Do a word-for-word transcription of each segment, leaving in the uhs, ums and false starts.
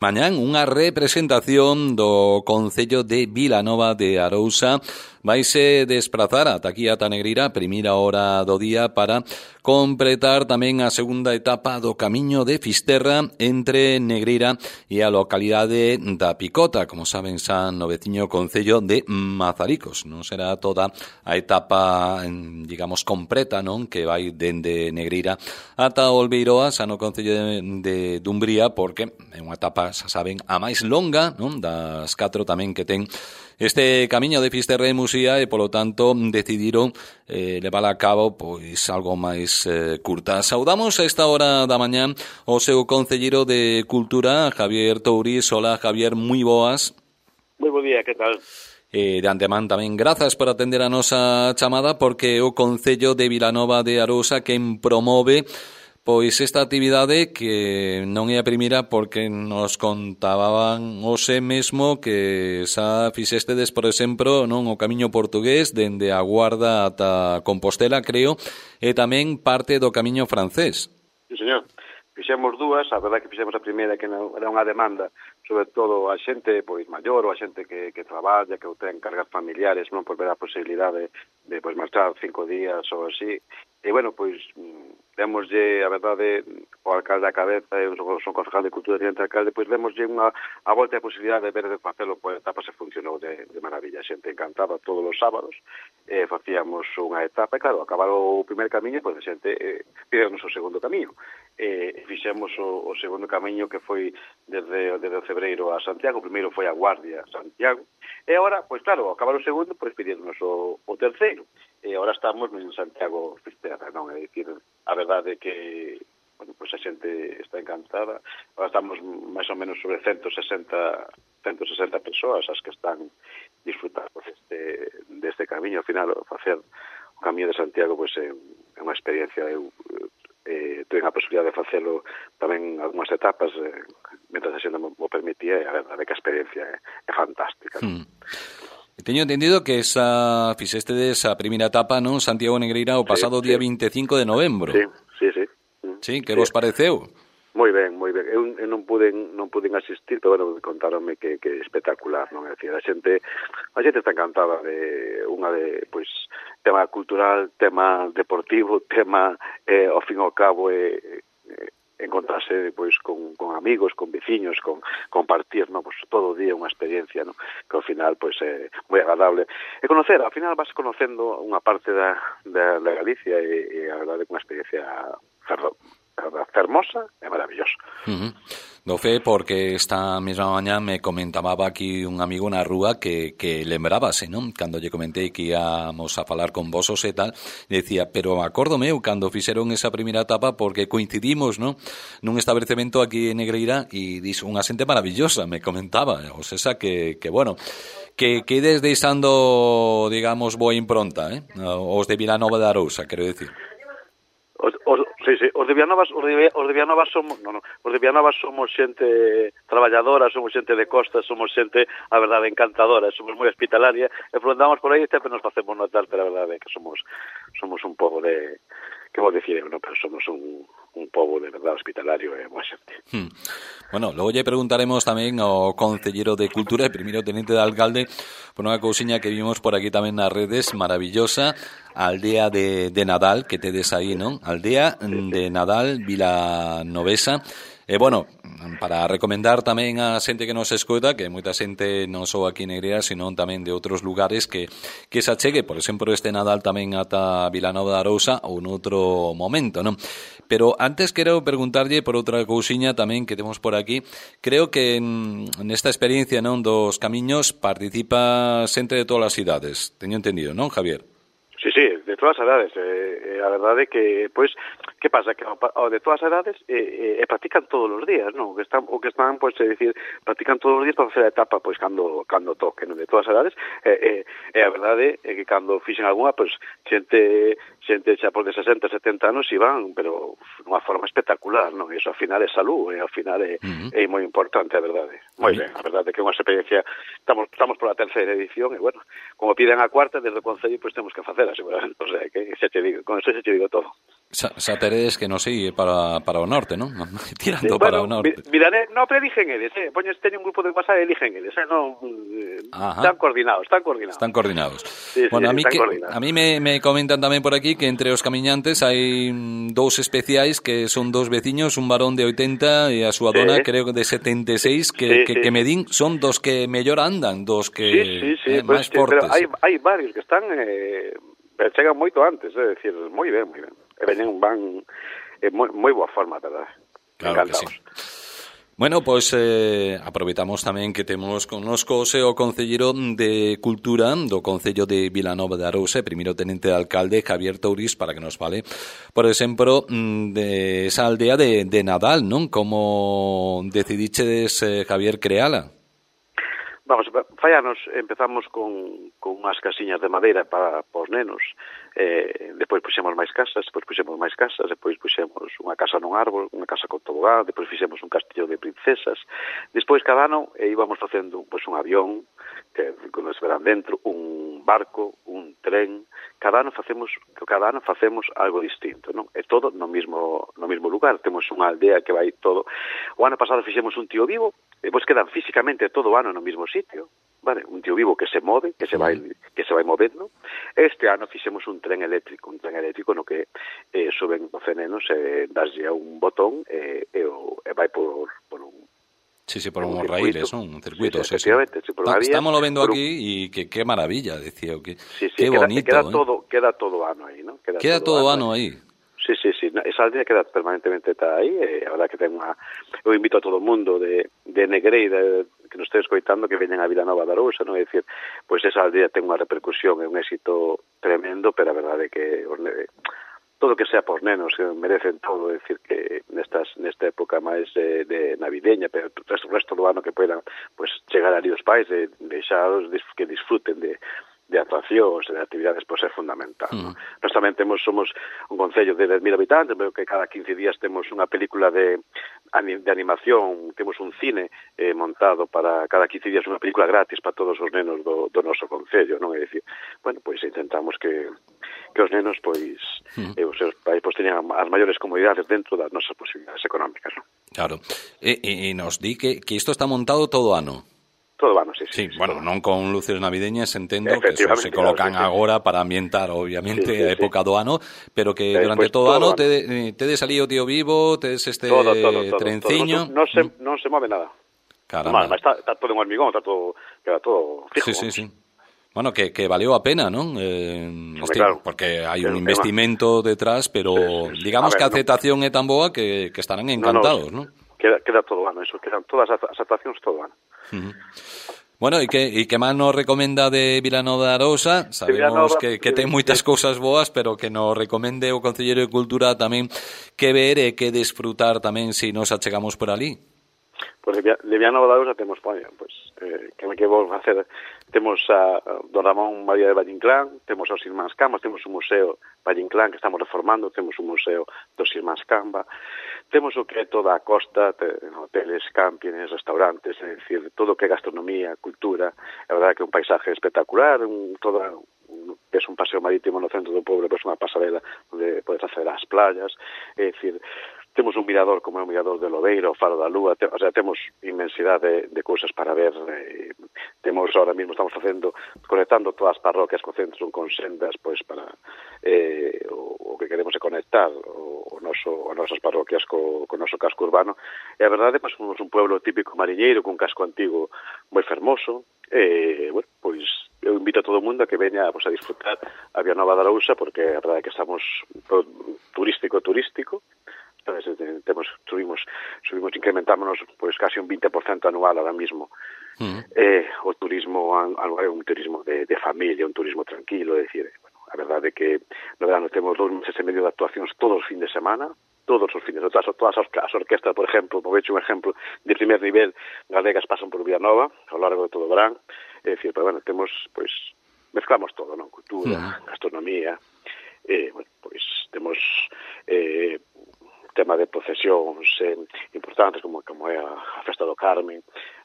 Mañán unha representación do Concello de Vilanova de Arousa vaise desplazar ata aquí ata Negreira a primeira hora do día para completar tamén a segunda etapa do Camiño de Fisterra entre Negreira e a localidade da Picota, como saben, xa no veciño Concello de Mazaricos. Non será toda a etapa, digamos, completa, non, que vai dende Negreira ata Olveiroa, xa no Concello de, de Dumbría, porque é unha etapa, xa saben, a máis longa, non, das catro tamén que ten este Camiño de Fisterra e Musía, e polo tanto decidiron eh, levar a cabo pois algo máis eh, curta. Saudamos a esta hora da mañán o seu concelleiro de Cultura, Javier Touriz. Hola, Javier, moi boas. Moi bo día, que tal? E de antemán tamén grazas por atender a nosa chamada, porque o Concello de Vilanova de Arousa quen promove pois esta actividade que non é a primeira, porque nos contaban hoxe mesmo que xa fixestedes, por exemplo, non o Camiño Portugués dende a Guarda ata Compostela, creo, e tamén parte do Camiño Francés. Sí, señor. Fixemos dúas, a verdade que fixemos a primeira que non, era unha demanda, sobre todo a xente pois maior ou a xente que, que traballa, que ten cargas familiares, non, por ver a posibilidade de pois marchar cinco días ou así. E, bueno, pois, démoslle, a verdade, o alcalde a cabeza, e o son concejal de Cultura e de alcalde, pois démoslle unha a volta a posibilidade de ver de facelo, pois, etapa se funcionou de, de maravilla, a xente encantada todos os sábados, e facíamos unha etapa, e claro, acabado o primer camiño, pois a xente eh, pidemos o segundo camiño, e fixemos o, o segundo camiño que foi desde, desde o Cebreiro a Santiago. O primeiro foi a Guardia a Santiago, e agora, pois claro, acabar o segundo, pois pidíamos o, o terceiro, e agora estamos en Santiago Fisterra, non? É dicir, a verdade que, bueno, pois a xente está encantada. Agora estamos máis ou menos sobre ciento sesenta persoas as que están disfrutando deste, deste camiño. Ao final, facer o Camiño de Santiago, pois é unha experiencia. Eu eh, tuve a posibilidade de facelo tamén algunhas etapas, eh, mentre a xente mo permitía, e a verdade que a experiencia é, é fantástica, non? Hmm. Teño entendido que esa fixestedes a primeira etapa, non, Santiago Negreira, o pasado sí, día sí. vinte e cinco de novembro. Sí, sí, sí. Sí, que sí. vos pareceu? Moi ben, moi ben. Eu, eu non puden non puden asistir, pero bueno, contaronme que que espectacular, non? É dicir, a xente a xente está encantada de unha de, pois, tema cultural, tema deportivo, tema eh, ao fin e ao cabo eh, eh, encontrarse pois con, con amigos, con veciños, con compartir, no, pois todo o día unha experiencia, no, que ao final pois é moi agradable. E conocer, ao final vas conocendo unha parte da da, da Galicia, e, e a verdade que unha experiencia ferro, fermosa e maravillosa. Uh-huh. Do fe, porque esta mesma mañá me comentaba aquí un amigo na rúa que, que lembrábase, non? Cando lle comentei que íamos a falar con vosos e tal, decía, pero acórdome eu cando fixeron esa primeira etapa, porque coincidimos, non? Nun establecemento aquí en Negreira, e dixo unha xente maravillosa, me comentaba, o sea que, que bueno, que quedes deixando, digamos, boa impronta, eh? Os de Vilanova de Arousa, quero decir. Os, os, sí, sí, os de Vilanova, os de, os de Vilanova somos, no, no, os de Vilanova somos xente traballadora, somos xente de costa, somos xente, a verdade, encantadora, somos moi hospitalaria, e andamos por aí e sempre nos facemos notar, pero a verdade é que somos somos un pobo de, que vou dicir, no, pero somos un, un pobo de verdade hospitalario e moi xente. Hmm. Bueno, logo lle preguntaremos tamén ao concelleiro de Cultura e primeiro tenente de alcalde por unha cousiña que vimos por aquí tamén nas redes, maravillosa, a aldea de, de Nadal que tedes aí, non? Aldea de Nadal Vilanovesa. E, bueno, para recomendar tamén a xente que nos escoita, que moita xente non só aquí en Negreira, sino tamén de outros lugares, que, que se achegue, por exemplo, este Nadal tamén ata Vilanova de Arousa ou noutro momento, non? Pero antes quero preguntarlle por outra cousiña tamén que temos por aquí. Creo que nesta experiencia, non, dos camiños participa xente de todas as idades. Teño entendido, non, Javier? Sí, sí, de todas as edades. Eh, a verdade que, pois, que pasa? Que o de todas as edades eh, eh, practican todos os días, non? O que están, o que están, pois, é dicir, practican todos os días para facer a etapa, pois, cando, cando toque, non? De todas as edades. E eh, eh, a verdade é que cando fixen algunha, pois, xente, xente xa por de sesenta, setenta anos iban, pero dunha forma espectacular, non? E iso, ao final, é salud, e ao final é, uh-huh. é moi importante, a verdade. Moi ben, a verdade que é unha experiencia, estamos, estamos por a terceira edición, e, bueno, como piden a cuarta, desde o Concello, pois, temos que facer, seguramente, o sea, que xa te digo, con eso xa te digo todo. Xa, xa teredes que non sei para, para o norte, non? Tirando sí, para bueno, o norte. Miraré, no, pero eligen eles, eh. Poñes, teñen un grupo de WhatsApp e eligen eles, eh. Non, eh, están coordinados, están coordinados. Están coordinados. Sí, bueno, sí, a mí, que, coordinados. a mí me, me comentan tamén por aquí que entre os camiñantes hai dous especiais que son dous veciños, un varón de oitenta e a súa sí. dona, creo que de setenta e seis, que, sí, que, sí, que me din son dos que mellor andan, dos que sí, sí, sí, eh, pues, máis fortes. Pero hai, hai varios que están... Eh, chegan moito antes, é dicir, moi ben, moi ben. E veñen, van en moi, moi boa forma, verdad? Claro que sí. Bueno, pois pues, eh, aproveitamos tamén que temos connosco o Concelleiro de Cultura do Concello de Vilanova de Arousa, primeiro tenente de alcalde Javier Touriz, para que nos fale, por exemplo, de esa aldea de, de Nadal, non? Como decidichedes, eh, Javier, creala? Vamos, fai anos empezamos con, con unhas casiñas de madeira para, para os nenos, eh, depois puxemos máis casas, depois puxemos máis casas, depois puxemos unha casa nun árbol, unha casa con tobogán, depois fixemos un castillo de princesas, despois cada ano eh, íbamos facendo pois, un avión, que nos verán dentro, un barco, un tren, cada ano facemos cada ano facemos algo distinto, non? E todo no mismo no mismo lugar, temos unha aldea que vai todo. O ano pasado fixemos un tío vivo, e pois quedan físicamente todo o ano no mesmo sitio, vale? Un tío vivo que se move, que se vai que se vai movendo. Este ano fixemos un tren eléctrico, un tren eléctrico no que eh, suben doce nenos e eh, daslle a un botón e, e, o, e vai por, por un Sí, sí, por unhos raíles, non? Un circuito, sí, sí, sí. sí, por vía, Estamos lo vendo por aquí e que qué maravilla, decía, que sí, sí, qué queda, bonito, queda eh? todo, queda todo ano aí, ¿no? Queda, queda todo, todo ano aí. aí. Sí, sí, sí, esa aldea queda permanentemente está aí, e a verdade que ten unha... Eu invito a todo o mundo de, de Negreira, que nos este escoitando, que veñen a Vilanova de Arousa, non? É dicir, pois esa aldea ten unha repercusión e un éxito tremendo, pero a verdade que todo que sea pos nenos, que merecen todo, é dicir, que nestas nesta época máis de, de navideña, pero o resto, resto do ano que poidan pois, chegar ali os pais e deixaros que disfruten de de atraccións e de actividades pois é fundamental. Mm. Nós tamén temos, somos un concello de dez mil habitantes, pero que cada quince días temos unha película de, de animación, temos un cine eh, montado para cada quince días unha película gratis para todos os nenos do, do noso concello, non? É dicir, bueno, pois intentamos que, que os nenos pois mm. e os seus pais pois teñan as maiores comodidades dentro das nosas posibilidades económicas, non? Claro. E, e, e nos di que, que isto está montado todo ano. Todo ano, sí, sí. Sí, sí bueno, non con luces navideñas, entendo que eso se colocan claro, sí, agora sí. para ambientar, obviamente, sí, sí, a época sí. do ano, pero que eh, durante pues, todo o ano te, tedes ali o tío vivo, tedes este todo, todo, todo, trenciño... Todo. Non, se, non se move nada. Caramba. Mal, está, está todo en hormigón, está todo, queda todo fijo. Sí, sí, sí. Bueno, que, que valeu a pena, non? Eh, este, claro. Porque hai un investimento detrás, pero sí, sí, sí. digamos a ver, que a aceptación no. é tan boa que, que estarán encantados, non? No, no. Queda, queda todo ano, eso, quedan todas as actuacións todo ano. Uh-huh. Bueno, e que, e que máis nos recomenda de Vilanova de Arousa? Sabemos Vilanova, que, que ten moitas cousas boas, pero que nos recomende o Concelleiro de Cultura tamén que ver e que desfrutar tamén se nos achegamos por ali. Pois pues, de Vilanova de Arousa temos, pois, pues, eh, que me que vou facer, temos a Don Ramón María de Valle Inclán, temos os Irmáns Cambas, temos un museo Valle Inclán que estamos reformando, temos un museo dos Irmáns Camba, temos o que é toda a costa, hoteles, campings, restaurantes, é dicir, todo o que é gastronomía, cultura, a verdade que é un paisaje espectacular, un, toda, un, es un paseo marítimo no centro do pobo, pois unha pasarela onde podes acceder ás playas, é dicir, temos un mirador como é o mirador de Lobeira, o Faro da Lúa, te, o sea, temos inmensidade de, de cousas para ver, eh, temos ahora mismo, estamos facendo, conectando todas as parroquias co centro con sendas, pois para eh, o, o que queremos é conectar o, o noso, as nosas parroquias co, co noso casco urbano, e a verdade, pois, somos un pueblo típico mariñeiro, con casco antigo moi fermoso, e, bueno, pois, eu invito a todo o mundo a que veña pois, a disfrutar a Vilanova de Arousa, porque a verdade é que estamos turístico, turístico, entonces, temos, subimos, subimos, incrementámonos pois casi un vinte por cento anual ahora mismo. Mm. Eh, o turismo é un turismo de, de familia, un turismo tranquilo, é dicir, bueno, a verdade é que no verano temos dos meses e medio de actuacións todos os fin de semana, todos os fines, todas, todas as orquestas, por exemplo, por hecho un exemplo de primer nivel, galegas pasan por Vilanova ao largo de todo o verán, é dicir, pero bueno, temos, pois, mezclamos todo, non? Cultura, mm. gastronomía, eh, bueno, pois, temos eh, tema de procesións eh, importantes como, como é a, a Festa do Carmen,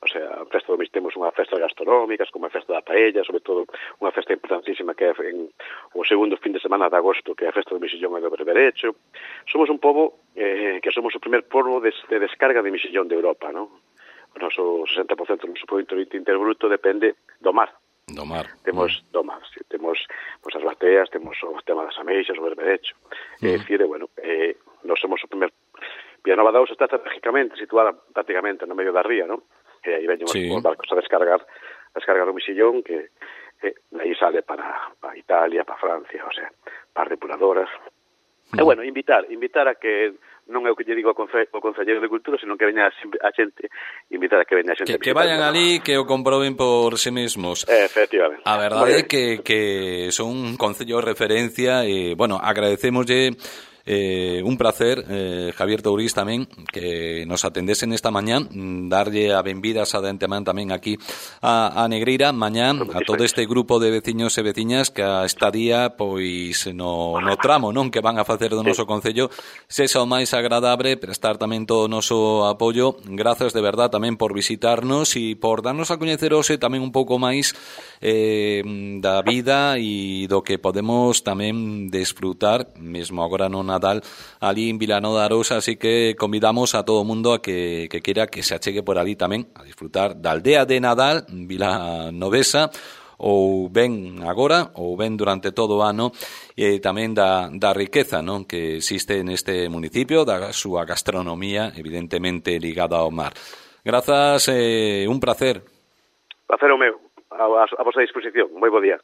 O sea, a festa do Mixillón temos unha festa gastronómicas, como a festa da paella, sobre todo unha festa importantísima que é en o segundo fin de semana de agosto, que é a festa do Mixillón e do berberecho. Somos un pobo eh, que somos o primer pobo de, de descarga de mixillón de Europa, non? O noso sesenta por ciento do noso produto interbruto depende do mar. Do mar. Temos mm. do mar, sí, temos pues, as bateas, temos o tema das ameixas, o berberecho. Mm. É dicir, bueno, eh, nós somos o primer... Vilanova de Arousa está estratégicamente situada prácticamente no medio da ría, non? E aí veñen sí. os barcos a descargar a descargar o mixillón que eh, aí sale para, para Italia, para Francia, o sea, para depuradoras. Mm. E bueno, invitar, invitar a que non é o que lle digo ao, conce, ao Concelleiro de Cultura, sino que veña a xente, invitar a que veña a xente. Que, que vayan ali, que o comproben por si mesmos. Eh, efectivamente. A verdade é que, que son un concello de referencia e, bueno, agradecémoslle Eh, un placer, eh, Javier Touriz tamén, que nos atendesen esta mañán, darlle a benvidas a de antemán tamén aquí a, a Negreira mañán, a todo este grupo de veciños e veciñas que a estadía pois no, no tramo non que van a facer do noso concello sexa o máis agradable, prestar tamén todo o noso apoio. Grazas de verdad tamén por visitarnos e por darnos a coñecer hoxe tamén un pouco máis eh, da vida e do que podemos tamén desfrutar mesmo agora non Nadal ali en Vilanova de Arousa, así que convidamos a todo o mundo a que, que quera que se achegue por ali tamén a disfrutar da aldea de Nadal, vilanovesa, ou ben agora ou ben durante todo o ano, e tamén da, da riqueza non que existe neste municipio, da súa gastronomía evidentemente ligada ao mar. Grazas, eh, un placer. Placer o meu, a, a, a vosa disposición. Moi bo día.